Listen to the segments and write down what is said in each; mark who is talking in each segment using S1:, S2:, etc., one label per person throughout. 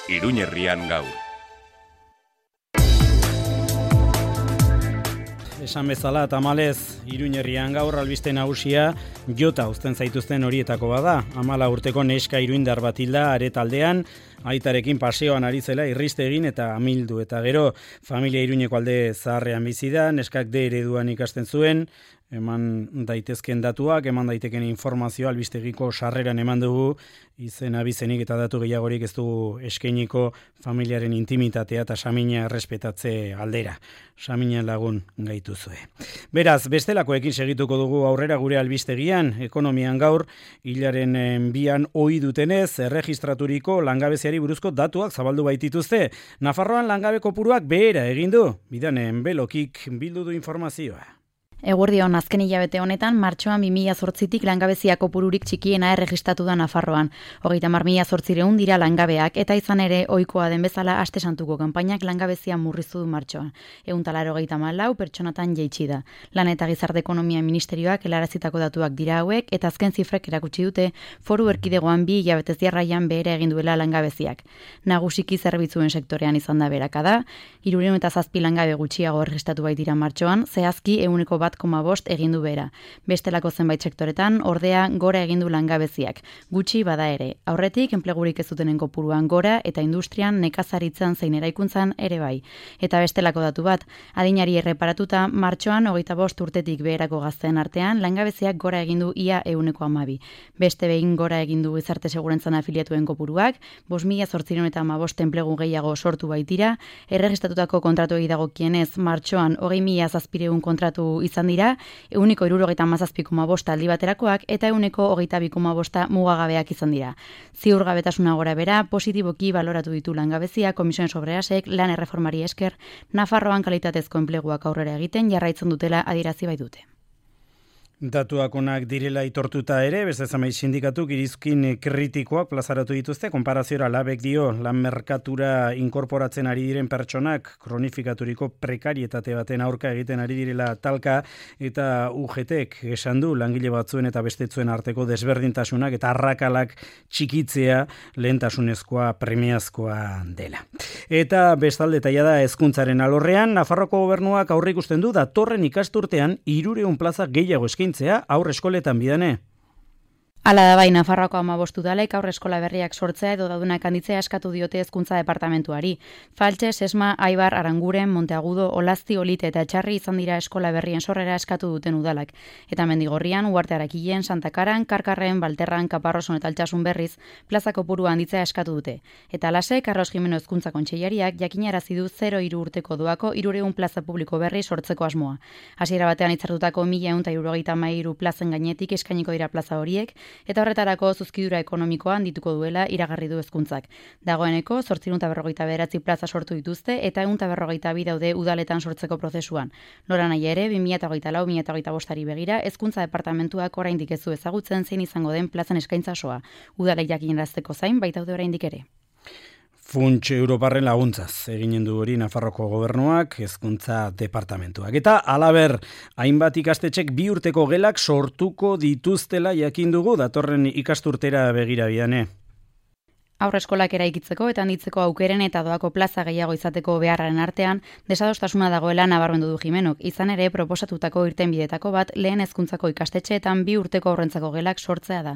S1: Iruñerrian gaur.
S2: Esan bezala, tamalez, Iruñerrian gaur albiste nagusia jota uzten zaituzten horietako bada. 14 urteko neska iruindar bat hilda aretaldean, aitarekin paseoan ari zela irriste egin eta amildu. Eta gero, familia Iruñeko alde zaharrean bizi da, neskak D ereduan ikasten zuen, eman daitezken datuak, eman daiteken informazioa albistegiko sarreran eman dugu, izen abizenik eta datu gehiagorik ez dugu eskainiko familiaren intimitatea eta samina errespetatze aldera. Samina lagun gaituzue. Beraz, bestelakoekin segituko dugu aurrera gure albistegian, ekonomian gaur, hilaren 2an ohi dutenez, erregistraturiko langabeziari buruzko datuak zabaldu baitituzte. Nafarroan langabe kopuruak behera egin du, bidanen belokik bildu du informazioa.
S3: Eguerdion, azken hilabete honetan, martxoan 2008tik langabezia kopururik txikiena erregistratu da Nafarroan. 30.800 dira langabeak, eta izan ere ohikoa den bezala Aste Santuko kanpainak langabezia murriztu du martxoan. 184 pertsonatan jaitsi da. Lan eta Gizarte Ekonomia Ministerioak helarazitako datuak dira hauek, eta azken zifrek erakutsi dute Foru Erkidegoan 2 hilabetez jarraian behera egin duela langabeziak. Nagusiki zerbitzuen sektorean izan da beherakada, 307 langabe gutxiago erregistratu baitira martxoan, zehazki 1,5 egin du behera. Bestelako zenbait sektoretan, ordea gora egin du langabeziak. Gutxi bada ere. Aurretik, enplegurik ez dutenen kopuruan gora eta industrian, nekazaritzan zein eraikuntzan ere bai. Eta bestelako datu bat, adinari erreparatuta, martxoan 25 urtetik beherako gazteen artean, langabeziak gora egin du ia 1,12. Beste behin gora egin du gizarte segurantzan afiliatuen kopuruak, 5.815 enplegu gehiago sortu baitira, erregistatutako kontratuei dagokienez, martxoan 20.700 kontratu izan dira, 177,5 aldi baterakoak eta 122,5 mugagabeak izan dira. Ziurgabetasuna gora bera, positiboki baloratu ditu langabezia, Komisiones Obrerasek lan erreformari esker, Nafarroan kalitatezko enpleguak aurrera egiten jarraitzen dutela adierazi baitute.
S2: Datuak onak direla aitortuta ere, beste zamai sindikatuk irizkin kritikoak plazaratu dituzte, konparaziora labek dio, lan merkatura inkorporatzen ari diren pertsonak, kronifikaturiko prekarietate baten aurka egiten ari direla talka, eta UGTek esan du langile batzuen eta bestetzuen arteko desberdintasunak eta arrakalak txikitzea lehentasunezkoa premiazkoa dela. Eta bestalde taia da hezkuntzaren alorrean, Nafarroko gobernuak aurreikusten du datorren ikasturtean 300 plaza gehiago eskaintzea aurre eskoletan bidane.
S3: Hala da bai, Nafarroako 15 udalek aurre eskola berriak sortzea edo daudunak handitzea eskatu diote hezkuntza departamentuari. Faltxe, Sesma, Aibar, Aranguren, Monteagudo, Olazti, Olite eta Etxarri izan dira eskola berrien sorrera eskatu duten udalak. Eta Mendigorrian, Uarte Arakilen, Santa Karan, Karkarren, Balterran, Kaparroson eta Altsasun berriz plaza kopurua handitzea eskatu dute. Eta alase, Carlos Jimeno hezkuntza kontseilariak jakinarazi du 0-3 urteko doako 300 plaza publiko berri sortzeko asmoa. Hasiera batean hitzartutako 1.173 plazen gainetik eskainiko dira plaza horiek, eta horretarako zuzkidura ekonomikoa handituko duela iragarri du hezkuntzak. Dagoeneko 859 plaza sortu dituzte eta 152 daude udaletan sortzeko prozesuan. Nora nahi ere 2024-2025 begira hezkuntza departamentuak oraindik ez du ezagutzen zein izango den plazen eskaintza osoa. Udalek jakinarazteko zain baitaude oraindik ere.
S2: Funts Europarren laguntzaz eginen du hori Nafarroko gobernuak, hezkuntza departamentuak. Eta halaber, hainbat ikastetxek 2 urteko gelak sortuko dituztela jakin dugu datorren ikasturtera begira bidane.
S3: Aurreskolak eraikitzeko eta handitzeko aukeren eta doako plaza gehiago izateko beharraren artean, desadostasuna dagoela nabarmendu du Jimenok. Izan ere, proposatutako irtenbidetako bat lehen hezkuntzako ikastetxeetan 2 urteko aurrentzako gelak sortzea da.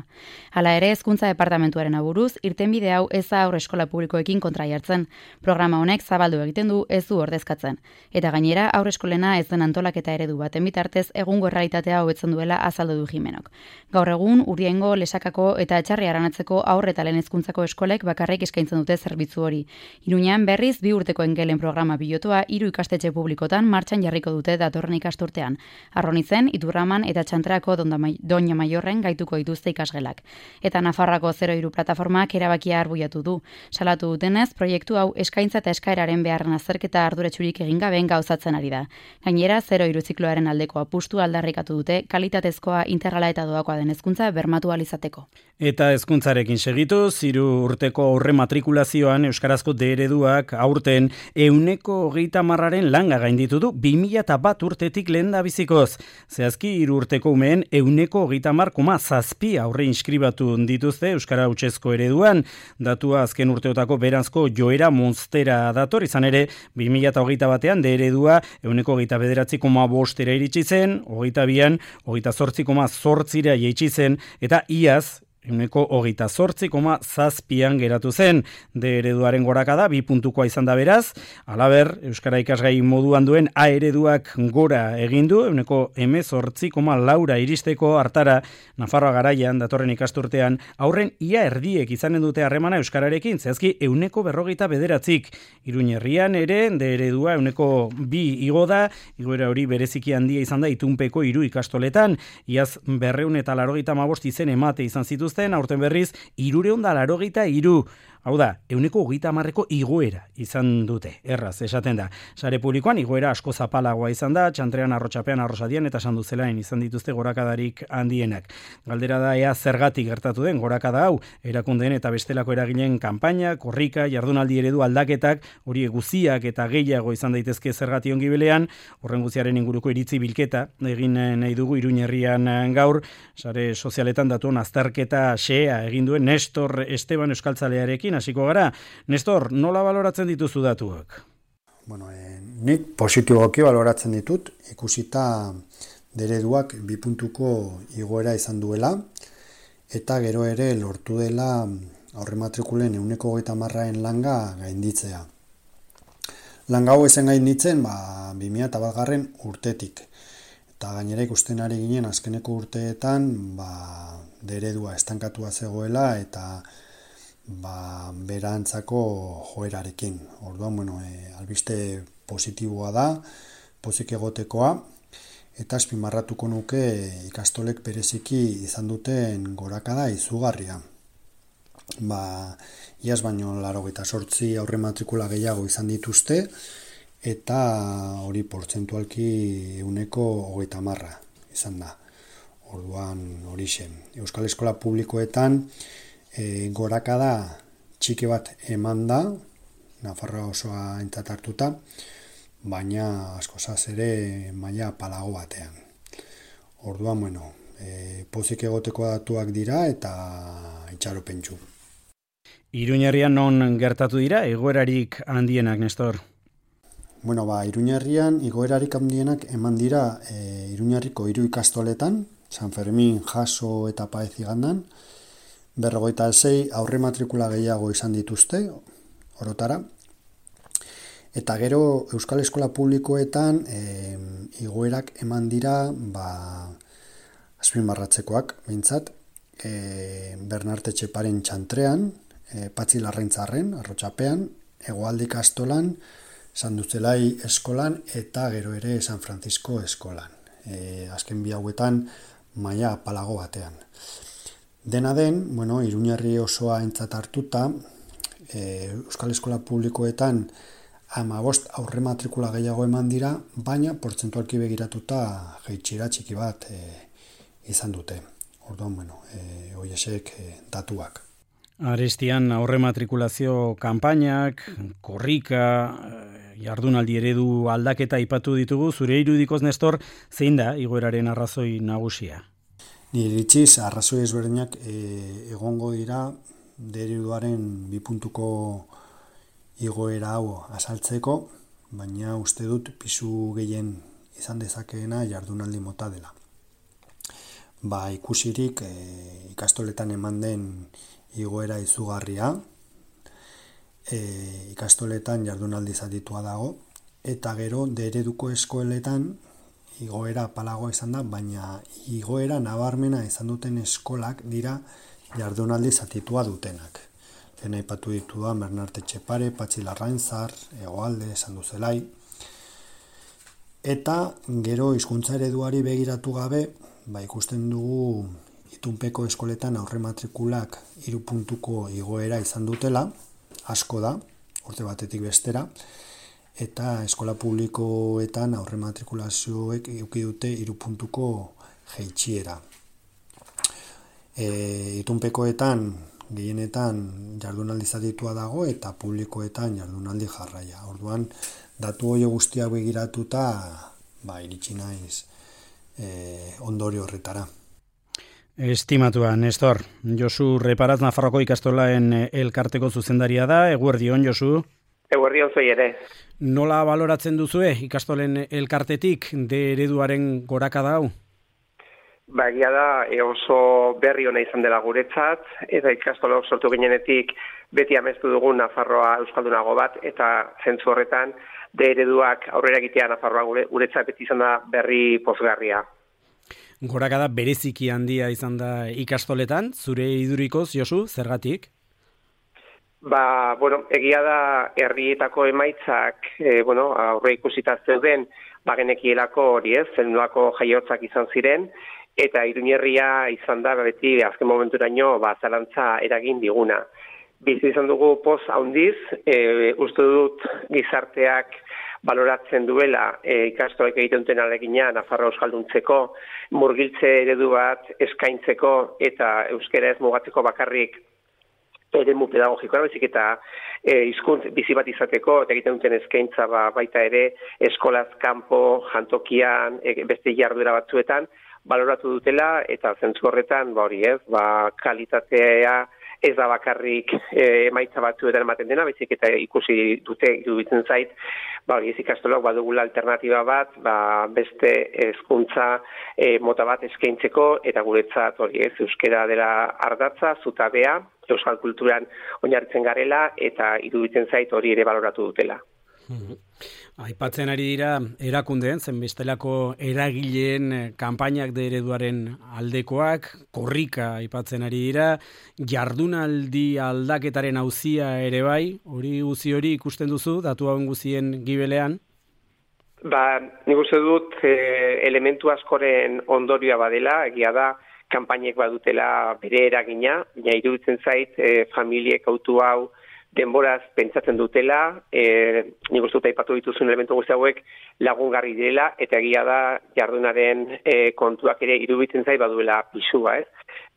S3: Hala ere, hezkuntza departamentuaren aburuz, irtenbide hau ez da aurreskola publikoekin kontra jartzen. Programa honek zabaldu egiten du, ez du ordezkatzen. Eta gainera, aurreskolena ez den antolaketa eredu baten bitartez egungo errealitatea hobetzen duela azaldu du Jimenok. Gaur egun, Urdiaingo, Lesakako eta Etxarri Aranatzeko aurre eta lehen hezkuntzako eskolek bakarrik eskaintzen dute zerbitzu hori. Iruñean berriz 2 urteko engelen programa pilotua 3 ikastetxe publikotan martxan jarriko dute datorren ikasturtean. Arronitzen, Iturraman eta Txantrako Doña Maiorren gaituko dituzte ikasgelak. Eta Nafarroako 03 plataformak erabakia arbuiatu du. Salatu dutenez, proiektu hau eskaintza eta eskaeraren beharren azterketa arduratsurik egin gaben gauzatzen ari da. Gainera, 03 zikloaren aldeko apustu aldarrikatu dute kalitatezkoa, integrala eta doakoa den hezkuntza bermatu ahal izateko.
S2: Eta hezkuntzarekin segituz, 3 urte urteko aurre matrikulazioan euskarazko D ereduak aurten 130aren langa gainditu du 2001 urtetik lehendabizikoz. Zehazki 3 urteko umeen 130,7 aurre inskribatu dituzte euskara hutsezko ereduan. Datua azken urteotako beranzko joera monstera dator, izan ere 2021ean D eredua 129,5 iritsi zen, 22an 28,8 jaitsi zen, eta iaz 128,7 geratu zen. D ereduaren gorakada 2 puntukoa izan da beraz. Halaber, euskara ikasgai moduan duen A ereduak gora egin du 18,4 iristeko hartara. Nafarroa Garaian datorren ikasturtean aurren ia erdiek izanen dute harremana euskararekin, zehazki 149. Iruñerrian ere D eredua 102 igo da, igoera hori bereziki handia izan da itunpeko 3 ikastoletan. Iaz 285 izen emate izan zituzten, aurten berriz 383. Hau da, 130ko igoera izan dute, erraz, esaten da. Sare publikoan igoera asko zapalagoa izan da, Txantrean, Arrotxapean, Arrosadian eta Sanduzelain izan dituzte gorakadarik handienak. Galdera da ea zergatik gertatu den gorakada hau, erakundeen eta bestelako eragileen kanpaina, korrika, jardunaldi eredu aldaketak, hori guziak eta gehiago izan daitezke zergati ongibelean, horren guziaren inguruko iritzi bilketa, egin nahi dugu Iruñerrian gaur, sare sozialetan datuen azterketa xea egin duen Nestor Esteban euskaltzalearekin hasiko gara. Nestor, nola baloratzen dituzu datuak?
S1: Bueno, nik positiboki baloratzen ditut, ikusita D ereduak 2 puntuko igoera izan duela, eta gero ere lortu dela aurrematrikulen 130aren langa gainditzea. Langa hau ezen gainditzen 2001 urtetik. Eta gainera ikusten ari ginen azkeneko urteetan D eredua estankatua zegoela eta berantzako joerarekin. Orduan, albiste positiboa da, pozik egotekoa, eta azpimarratuko nuke ikastolek bereziki izan duten gorakada izugarria. Iaz baino 88 aurre matrikula gehiago izan dituzte, eta hori portzentualki 130 izan da. Orduan horixe. Euskal Eskola Publikoetan gorakada txiki bat eman da, Nafarroa osoa aintzat hartuta, baina askozaz ere maila palago batean. Orduan, pozik egoteko datuak dira eta itxaropentsu.
S2: Iruñerrian non gertatu dira egoerarik handienak, Nestor?
S1: Iruñerrian igoerarik handienak eman dira Iruñerriko 3 ikastoletan, San Fermin, Jaso eta Paez igandan, 56 aurre matrikula gehiago izan dituzte, orotara. Eta gero Euskal Eskola Publikoetan igoerak eman dira azpimarratzekoak, behintzat, Bernarte Etxeparen Txantrean, Patxi Larraintzarren, Arrotxapean, Hegoalde ikastolan, Sanduzelai eskolan eta gero ere San Francisco eskolan. Azken bi hauetan maila palago batean. Dena den, Iruñerri osoa aintzat hartuta, Euskal Eskola Publikoetan 15 aurre matrikula gehiago eman dira, baina portzentualki begiratuta jaitsiera txiki bat izan dute. Orduan, horiexek datuak.
S2: Arestian aurre matrikulazio kanpainak, korrika, jardunaldi eredu aldaketa aipatu ditugu, zure irudikoz, Nestor, zein da igoeraren arrazoi nagusia?
S1: Nire iritziz, arrazoi ezberdinak egongo dira D ereduaren 2 puntuko igoera hau azaltzeko, baina uste dut pisu gehien izan dezakeena jardunaldi mota dela. Ikusirik ikastoletan eman den igoera izugarria, ikastoletan jardunaldi zatitua dago, eta gero D ereduko eskoletan igoera palagoa izan da, baina igoera nabarmena izan duten eskolak dira jardunaldi zatitua dutenak. Lehen aipatu ditudan Bernarte Etxepare, Patxi Larraintzar, Hegoalde, Sanduzelai. Eta gero hizkuntza ereduari begiratu gabe, ikusten dugu itunpeko eskoletan aurre matrikulak 3 puntuko igoera izan dutela, asko da, urte batetik bestera, eta eskola publikoetan aurre matrikulazioek eduki dute 3 puntuko jaitsiera. Itunpekoetan gehienetan jardunaldi zatitua dago eta publikoetan jardunaldi jarraia. Orduan, datu hori guztiak begiratuta, iritsi naiz ondorio horretara.
S2: Estimatua, Nestor, Josu Reparaz Nafarroko ikastolaen elkarteko zuzendaria da. Eguerdion, Josu.
S4: Eguerdion zoi ere.
S2: Nola baloratzen duzue ikastolen elkartetik de ereduaren gorakada hau?
S4: Egia da oso berri ona izan dela guretzat, eta ikastolok sortu ginenetik beti amestu dugun Nafarroa euskaldunago bat, eta zentzu horretan de ereduak aurrera egitea Nafarroa guretzat beti izan da berri pozgarria.
S2: Gorakada bereziki handia izan da ikastoletan, zure idurikoz, Josu, zergatik?
S4: Egia da herrietako emaitzak, aurre ikusita zeuden, genekielako hori zenolako jaiotzak izan ziren, eta Iruñerria izan da beti azken momenturaino zalantza eragin diguna. Bizi izan dugu poz handiz, uste dut gizarteak baloratzen duela ikastolek egiten duten ahalegina Nafarroa euskalduntzeko, murgiltze eredu bat eskaintzeko eta euskara ez mugatzeko bakarrik eremu pedagogikoa, baizik eta hizkuntz bizi bat izateko, eta egiten duten eskaintza baita ere eskolaz kanpo, jantokian, beste jarduera batzuetan, baloratu dutela, eta zentzu horretan, kalitatea ez da bakarrik emaitza batzuetan ematen dena, baizik eta ikusi dute iruditzen zait, ez ikastolok badugula alternatiba bat, beste hezkuntza mota bat eskaintzeko, eta guretzat euskara dela ardatza, zutabea, euskal kulturan oinarritzen garela, eta iruditzen zait hori ere baloratu dutela.
S2: Aipatzen ari dira erakundeen, zenbestelako eragileen kanpainak de ereduaren aldekoak, korrika aipatzen ari dira, jardunaldi aldaketaren auzia ere bai, hori ikusten duzu, datu hauen guzien gibelean?
S4: Nik uste dut elementu askoren ondorioa badela, egia da, kanpainek badutela bere eragina, iruditzen zait familiek autu hau denboraz pentsatzen dutela, nik uste dut aipatu dituzun elementu guzti hauek lagungarri dela, eta egia da jardunaren kontuak ere iruditzen zait baduela pisua,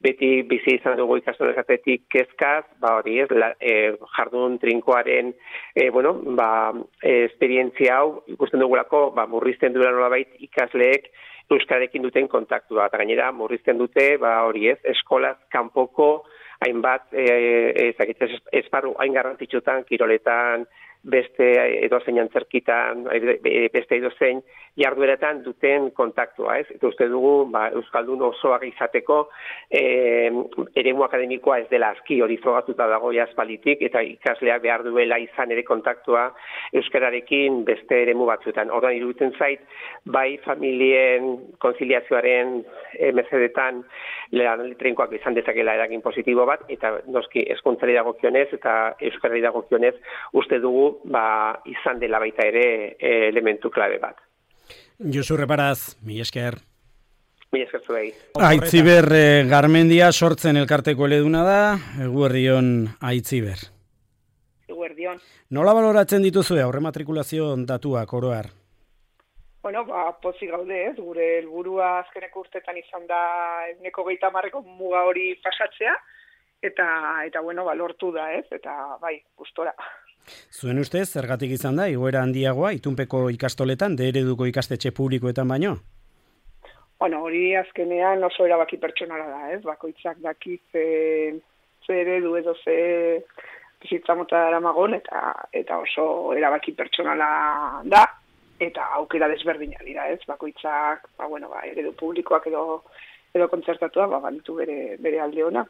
S4: Beti bizi izan dugu ikastoletatik kezkaz, jardun trinkoaren esperientzia hau ikusten dugulako, murrizten duela nolabait ikasleek euskararekin duten kontaktua, eta gainera murrizten dute, eskolaz kanpoko hainbat esparru hain garrantzitsutan, kiroletan, beste edozein antzerkitan, beste edozein jardueretan duten kontaktua, Eta uste dugu, euskaldun osoak izateko, eremu akademikoa ez dela aski hori frogatuta dago aspalditik, eta ikasleak behar duela izan ere kontaktua euskararekin beste eremu batzuetan. Orduan iruditzen zait, bai familien konziliazioaren mesedetan lanaldi trinkoak izan dezakela eragin positibo bat, eta noski hezkuntzari dagokionez eta euskarari dagokionez uste dugu izan dela baita ere elementu klabe bat.
S2: Josu Reparaz, mila esker.
S4: Mila esker zuei.
S2: Aitziber Garmendia sortzen elkarteko eleduna da, eguerdion Aitziber.
S5: Eguerdion.
S2: Nola baloratzen dituzue aurre matrikulazio datuak oroar?
S5: Pozik gaude, gure helburua azkeneko urtetan izan da 130 muga hori pasatzea, eta lortu da, eta gustora.
S2: Zuen ustez, zergatik izan da, igoera handiagoa, itunpeko ikastoletan, de ereduko ikastetxe publikoetan baino?
S5: Hori azkenean oso erabaki pertsonala da, bakoitzak daki ze eredu edo ze bizitza mota daramagon, eta oso erabaki pertsonala da, eta aukera desberdina dira, bakoitzak, eredu publikoak edo kontzertatua, baditu bere alde ona,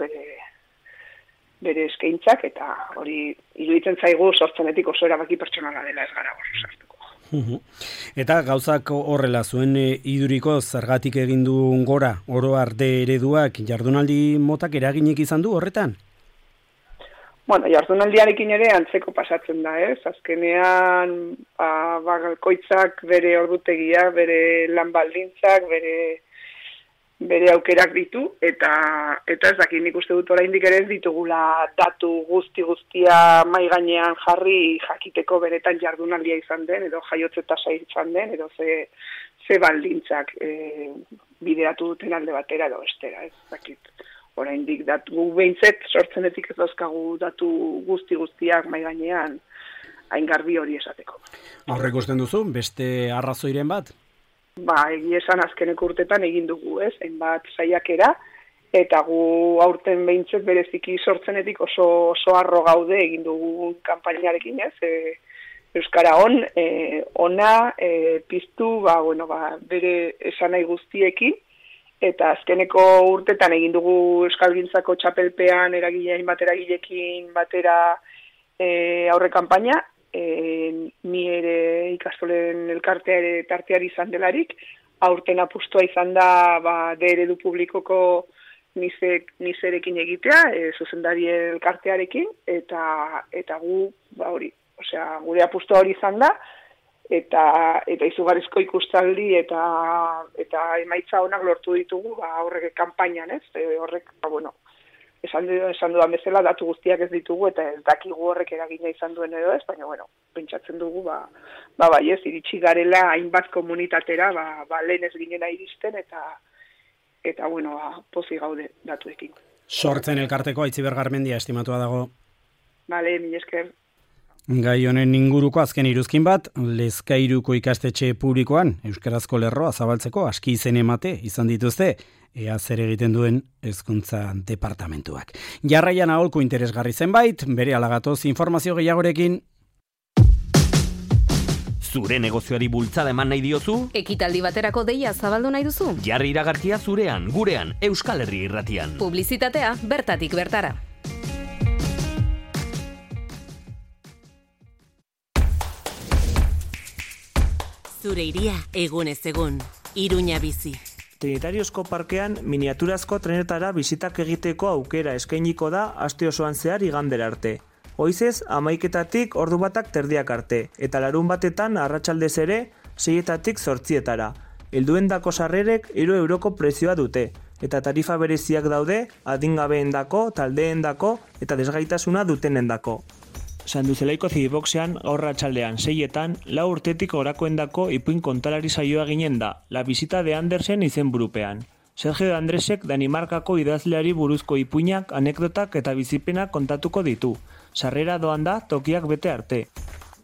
S5: bere eskaintzak, eta hori iruditzen zaigu sortzenetik oso erabaki pertsonala dela ez gara oso sartuko.
S2: Eta gauzak horrela, zuen iduriko zergatik egin du gora oro arte ereduak jardunaldi motak eraginik izan du horretan?
S5: Jardunaldiarekin ere antzeko pasatzen da, Azkenean, bakoitzak bere ordutegia, bere lan baldintzak, bere aukerak ditu, eta ez dakit nik uste dut oraindik ere ez ditugula datu guztia mai gainean jarri jakiteko beretan jardunaldia izan den, edo jaiotze tasa izan den, edo ze baldintzak bideratu duten alde batera edo bestera, ez dakit. oraindik datu behintzet sortzenetik ez dauzkagu datu guztiak mai gainean hain garbi hori esateko.
S2: Aurrek usten duzu, beste arrazoiren bat?
S5: Egia esan azkeneko urtetan egin dugu, hainbat saiakera, eta gu aurten behintzet bereziki sortzenetik oso harro gaude egin dugu kanpainarekin, Euskara ona piztu, bere esanai guztiekin, eta azkeneko urtetan egin dugu Euskalgintzako txapelpean hainbat eragileekin batera aurre kanpaina, ni ere ikastolen elkartea ere tarteari izan delarik, aurten apustua izan da eredu publikoko nizerekin egitea, zuzendari elkartearekin, eta gu, hori, gure apustua hori izan da, eta izugarrizko ikustaldi eta emaitza onak lortu ditugu horrek kanpainan, horrek, esan dudan bezala datu guztiak ez ditugu eta ez dakigu horrek eragina izan duen edo ez, baina pentsatzen dugu iritsi garela hainbat komunitatera lehen ez ginena iristen eta pozi gaude datuekin.
S2: Sortzen elkarteko Aitziber Garmendia estimatua dago.
S5: Mila esker.
S2: Gai honen inguruko azken iruzkin bat, Lezkairuko ikastetxe publikoan euskarazko lerroa zabaltzeko aski izen emate izan dituzte, ea zer egiten duen hezkuntza departamentuak. Jarraian aholku interesgarri zenbait, bere alagatoz informazio gehiagorekin.
S6: Zure negozioari bultzada eman nahi diozu?
S7: Ekitaldi baterako deia zabaldu nahi duzu?
S6: Jarri iragarkia zurean, gurean, Euskal Herri Irratian.
S7: Publizitatea bertatik bertara. Zure iria egunez egun, Iruña bizi.
S8: Trinitariozko parkean miniaturazko trenetara bizitak egiteko aukera eskainiko da aste osoan zehar igandera arte. Goizez 11:00 ordu batak terdiak arte, eta larun batetan arratsaldez ere 6:00 8:00. Helduendako sarrerek 3 euroko prezioa dute, eta tarifa bereziak daude adingabeendako, taldeendako eta desgaitasuna dutenendako. Sanduzelaiko Zibiboxean gaur arratsaldean 6:00 4 urtetik gorakoendako ipuin kontalari saioa ginen da, La visita de Andersen izenburupean. Sergio de Andresek Danimarkako idazleari buruzko ipuinak, anekdotak eta bizipenak kontatuko ditu. Sarrera doan da tokiak bete arte.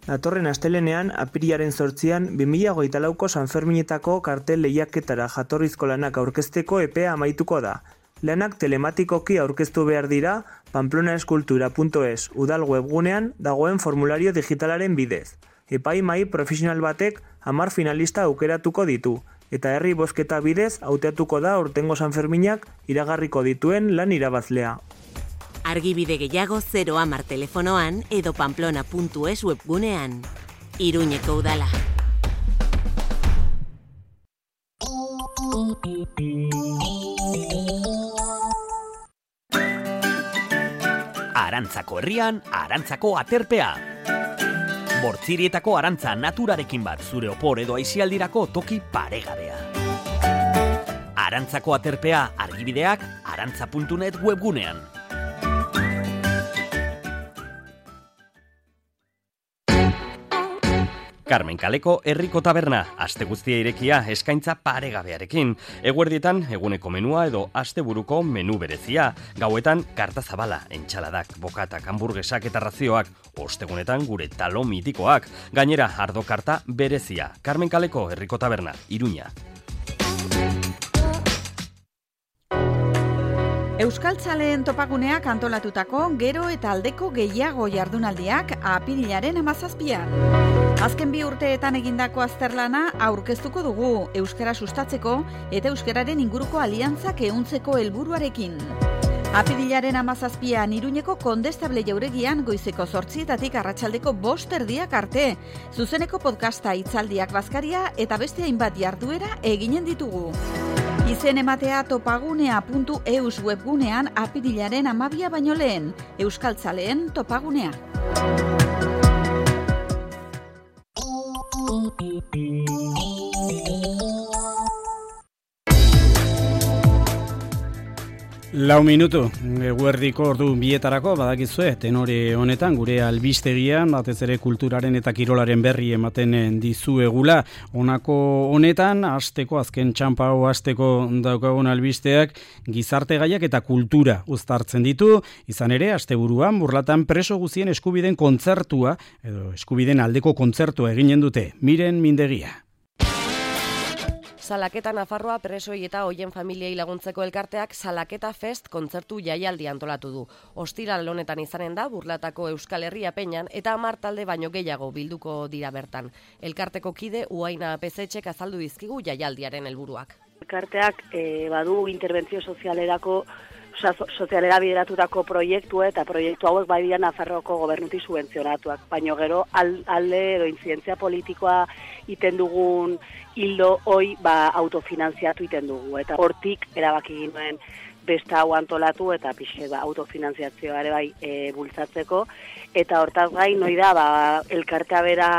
S8: Datorren astelenean, apirilaren 8an, 2024ko Sanferminetako kartel lehiaketara jatorrizko lanak aurkezteko epea amaituko da. Lanak telematikoki aurkeztu behar dira pamplonaeskultura.es udal webgunean dagoen formulario digitalaren bidez. Epaimahai profesional batek 10 finalista aukeratuko ditu, eta herri bozketa bidez hautatuko da aurtengo Sanferminak iragarriko dituen lan irabazlea.
S7: Argibide gehiago 010 telefonoan edo pamplona.es webgunean. Iruñeko udala.
S6: Arantzako herrian, Arantzako aterpea. Bortzirietako arantza naturarekin bat zure opor edo aisialdirako toki paregabea. Arantzako aterpea argibideak arantza.net webgunean. Carmen Kaleko herriko taberna, aste guztia irekia eskaintza paregabearekin. Eguerdietan eguneko menua edo asteburuko menu berezia. Gauetan karta zabala, entxaladak, bokatak, hamburguesak eta razioak. Ostegunetan gure talo mitikoak. Gainera ardo karta berezia. Carmen Kaleko herriko taberna, Iruña.
S9: Euskaltzaleen topaguneak antolatutako gero eta aldeko gehiago jardunaldiak apirilaren 17an. Azken 2 urteetan egindako azterlana aurkeztuko dugu euskara sustatzeko eta euskararen inguruko aliantzak ehuntzeko helburuarekin. Apirilaren 17an Iruñeko Kondestable jauregian goizeko 8:00 arratsaldeko 5:30 arte. Zuzeneko podcasta, hitzaldiak, bazkaria eta beste hainbat jarduera eginen ditugu. Izen ematea topagunea.eus webgunean apirilaren 12 baino lehen. Euskaltzaleen topagunea.
S2: 4 minutu, eguerdiko ordu bietarako, badakizue, tenore honetan, gure albistegian, batez ere kulturaren eta kirolaren berri ematen dizuegula. Honako honetan, asteko, azken txampa hau asteko daukagun albisteak, gizarte gaiak eta kultura uztartzen ditu, izan ere, asteburuan, Burlatan preso guzien eskubiden kontzertua, edo eskubiden aldeko kontzertua eginen dute, Miren Mindegia.
S10: Salaketa Nafarroa presoi eta hoien familiei laguntzeko elkarteak Salaketa Fest kontzertu jaialdi antolatu du. Ostiral honetan izanen da Burlatako Euskal Herria Peñan eta 10 talde baino gehiago bilduko dira bertan. Elkarteko kide Uaina Pezetxek azaldu dizkigu jaialdiaren helburuak.
S11: Elkarteak badu interbentzio sozialerako sozialera bideratutako proiektu eta proiektu hauek bai dira Nafarroako gobernutik subentzionatuak, baino gero alde edo intzidentzia politikoa iten dugun hildo hoi autofinantziatu iten dugu, eta hortik erabaki ginoen beste hau antolatu eta pixe autofinantziazioa ere bai bultzatzeko, eta hortaz gain noi da elkartea bera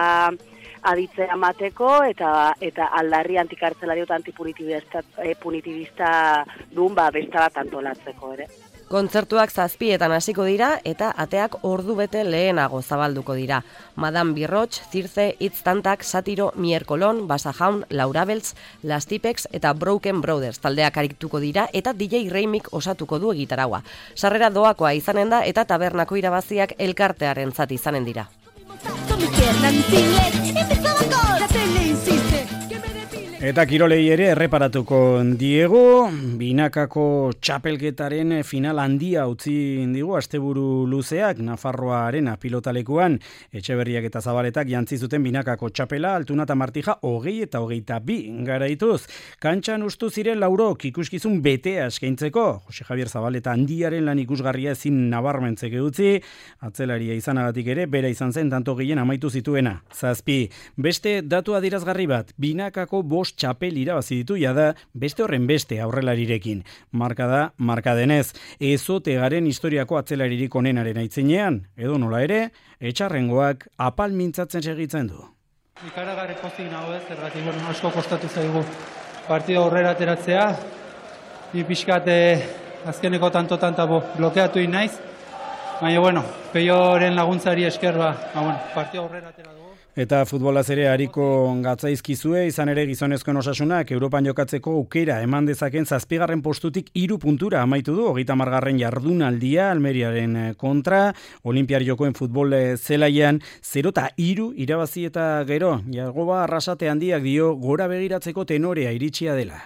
S11: aditzea mateko eta aldarri antikartzelario eta antipunitibista dun beste bat antolatzeko ere.
S10: Kontzertuak 7:00 hasiko dira eta ateak ordu bete lehenago zabalduko dira. Madame Birroch, Circe, Itztantak, Satiro, Mierkolon, Basajaun, Laura Beltz, Las Tipex eta Broken Brothers taldeak arituko dira eta DJ Reimik osatuko du egitaraua. Sarrera doakoa izanen da eta tabernako irabaziak elkartearen zati izanen dira.
S2: Eta kirolei ere erreparatuko diegu, binakako txapelketaren final handia utzi digu asteburu luzeak Nafarroaren pilotalekuan. Etxeberriak eta Zabaletak jantzi zuten binakako txapela, Altuna eta Martija 20 eta 22 garaituz. Kantxan ustu ziren laurok ikuskizun betea eskaintzeko. Jose Javier Zabaleta handiaren lan ikusgarria ezin nabarmentzeke utzi, atzelaria izanagatik ere, bera izan zen tanto gehien amaitu zituena. 7. Beste datu adierazgarri bat, binakako 5 txapel irabazi ditu jada beste horren beste aurrelarirekin. Marka da, marka denez, ezote garen historiako atzelaririk onenaren aitzinean, edo nola ere, etxarrengoak apal mintzatzen segitzen du.
S12: Ikaragarri pozik nago ez, zergatik asko kostatu zaigu partida aurrera ateratzea, ni pixkat azkeneko tanto blokeatu naiz, baina Peioren laguntzari esker partida aurrera atera dugu.
S2: Eta futbolaz ere hariko gatzaizkizue, izan ere gizonezkoen osasunak Europan jokatzeko aukera eman dezaken 7. postutik 3 puntura amaitu du, 30. jardunaldia Almeriaren kontra, Olimpiar jokoen futbol zelaian 0-3 irabazi eta gero, Jagoba Arrasate handiak dio gora begiratzeko tenorea iritsia dela.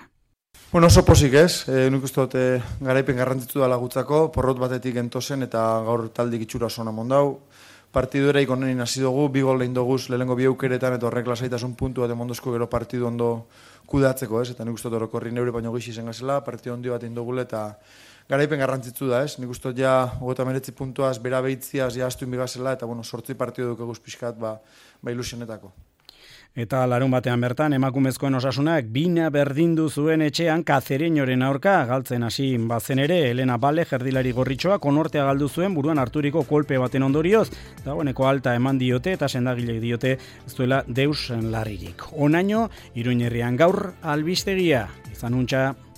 S13: Oso pozik ez, nik uste dut garaipen garrantzitsu da lagutzako, porrot batetik entozen eta gaur taldik itxura zona mondau. Partidu eraik onenin hasi dugu, 2 gol lehin doguz lehenengo 2 aukeretan eta horrek lasaitasun puntu bat emondozko gero partidu ondo kudeatzeko ez, eta nik uste dut orokorri neure baino gixi zen gazela, partidu ondi bat indogule eta garaipen garrantzitsu da ez, nik uste dut ja 39 puntuaz, bera behitziaz, ja astu inbigazela eta 8 partidu dukeguz pixkat ilusionetako.
S2: Eta larun batean bertan, emakumezkoen osasunak bina berdindu zuen etxean Kazereñoren aurka, galtzen hasi bazen ere, Elena Bale, jerdilari gorritxoa, konortea galdu zuen buruan harturiko kolpe baten ondorioz, dagoeneko alta eman diote eta sendagilek diote ez duela deus larririk. Onaino, Iruñerrian gaur albistegia, izan untxa.